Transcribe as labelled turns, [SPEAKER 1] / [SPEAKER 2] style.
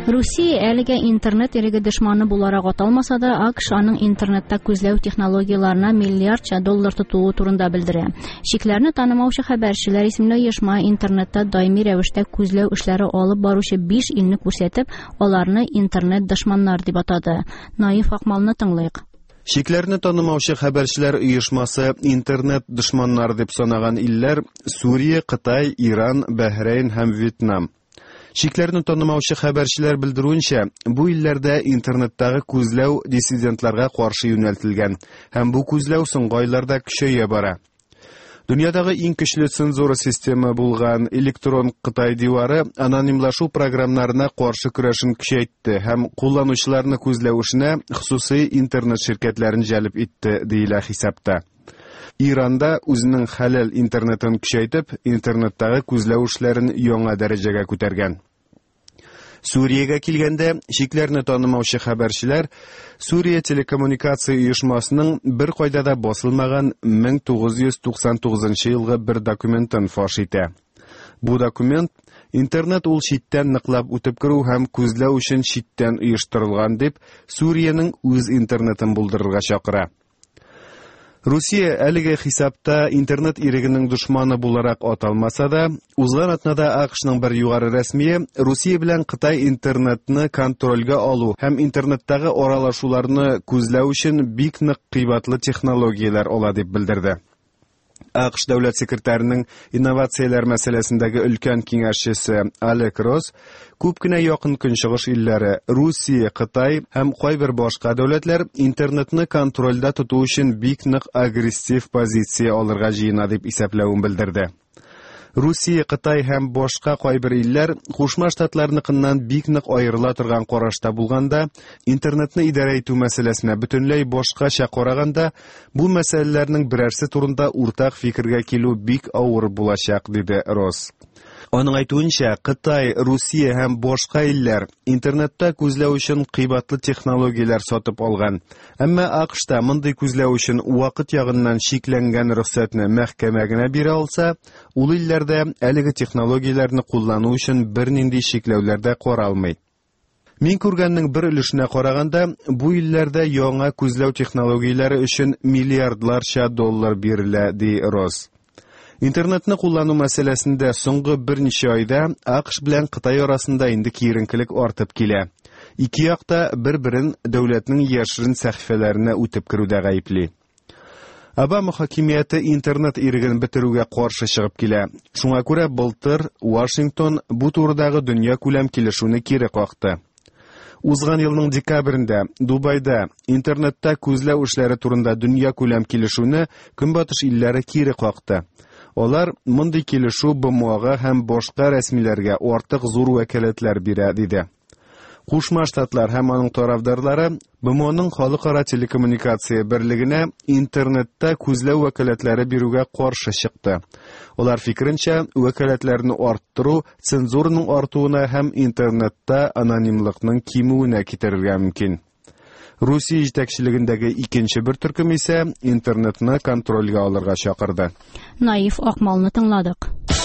[SPEAKER 1] Русия әлегә интернет иреге дошманы буларак аталмаса да, АКШ аның интернетта күзләү технологияләренә миллиардча доллар тотуы турында белдерә. Чикләрне танымаучы хәбәрчеләр исемле оешма интернетта даими рәвештә күзләү эшләре алып баручы 5 илне күрсәтеп, аларны интернет дошманнар дип атады. Наиф Акмалны тыңлыйк.
[SPEAKER 2] Чикләрне танымаучы хәбәрчеләр оешмасы интернет дошманнары дип санаган илләр Сүрия, Кытай, Иран, Бәһрәйн һәм Вьетнам. Чикләрне танымаучы хәбәрчеләр белдерүенчә, бу илләрдә интернеттагы күзләү диссидентларга каршы юнәлтелгән һәм бу күзләү соңгы айларда көчәя бара. Дөньядагы иң көчле цензура системы булган электрон Кытай дивары анонимлашу програмнарына каршы көрәшен көчәйтте һәм кулланучыларны күзләү эшенә хосусый интернет ширкәтләрен җәлеп итте, диелә хисапта. Иранда үзенең хәләл интернетын көчәйтеп, интернеттагы күзләү эшләрен яңа дәрәҗәгә күтәргән. Сүриягә килгәндә, чикләрне танымаучы хәбәрчеләр Сүрия телекоммуникация оешмасының бер кайда да басылмаган 1999 елгы бер документын фаш итә. Бу документ интернет ул читтән ныклап үтеп керү һәм күзләү өчен читтән оештырылган дип, Сүриянең үз интернетын булдырырга чакыра. Русия әлеге хисапта интернет ирегенең дошманы буларак аталмаса да, узган атнада АКШның бер югары рәсмие Русия белән Кытай интернетны контрольгә алу һәм интернеттагы аралашуларны күзләү өчен бик нык кыйбатлы технологияләр ала дип белдерде. АКШ дәүләт секретарының инновацияләр мәсьәләсендәге өлкән киңәшчесе Алек Росс күп кенә якын көнчыгыш илләре, Русия, Кытай һәм кайбер башка дәүләтләр интернетны контрольдә тоту өчен бик нык агрессив позиция алырга җыена дип исәпләвен белдерде. Русия, Кытай һәм башка кайбер илләр Кушма Штатларныкыннан бик нык аерыла торган карашта булганда, интернетны идарә итү мәсьәләсенә бөтенләй башкача караганда, бу мәсьәләләрнең берәрсе турында уртак фикергә килү бик авыр булачак, диде Росс. Аның әйтүенчә, Кытай, Русия һәм башка илләр интернетта күзләү өчен кыйбатлы технологияләр сатып алган. Әмма АКШта мондый күзләү өчен вакыт ягыннан чикләнгән рөхсәтне мәхкәмә генә бирә алса, ул илләрдә әлеге технологияләрне куллану өчен бернинди чикләүләр дә каралмый. Мин күргәннең бер өлешенә караганда, бу илләрдә яңа күзләү технологияләре өчен миллиардларча доллар бирелә, ди Росс. Интернетны куллану мәсьәләсендә соңгы берничә айда АКШ белән Кытай арасында инде киеренкелек артып килә. Ике як та бер-берен дәүләтнең яшерен сәхифәләренә үтеп керүдә гаепли. Обама хакимияте интернет иреген бетерүгә каршы чыгып килә. Шуңа күрә былтыр Вашингтон бу турыдагы дөнья күләм килешүне кире какты. Узган елның декабрендә Дубайда интернетта күзләү эшләре турында дөнья күләм килешүне Көнбатыш илләре кире какты. Алар мондый килешү БМОга һәм башка рәсмиләргә артык зур вәкаләтләр бирә, диде. Кушма Штатлар һәм аның тарафдарлары БМОның халыкара телекоммуникация берлегенә интернетта күзләү вәкаләтләре бирүгә каршы чыкты. Алар фикеренчә, вәкаләтләрне арттыру цензураның артуына һәм интернетта анонимлыкның кимүенә китерергә мөмкин. Русия җитәкчелегендәге икенче бер төркем исә интернетны контрольгә алырга чакырды.
[SPEAKER 1] Наиф Акмалны тыңладык.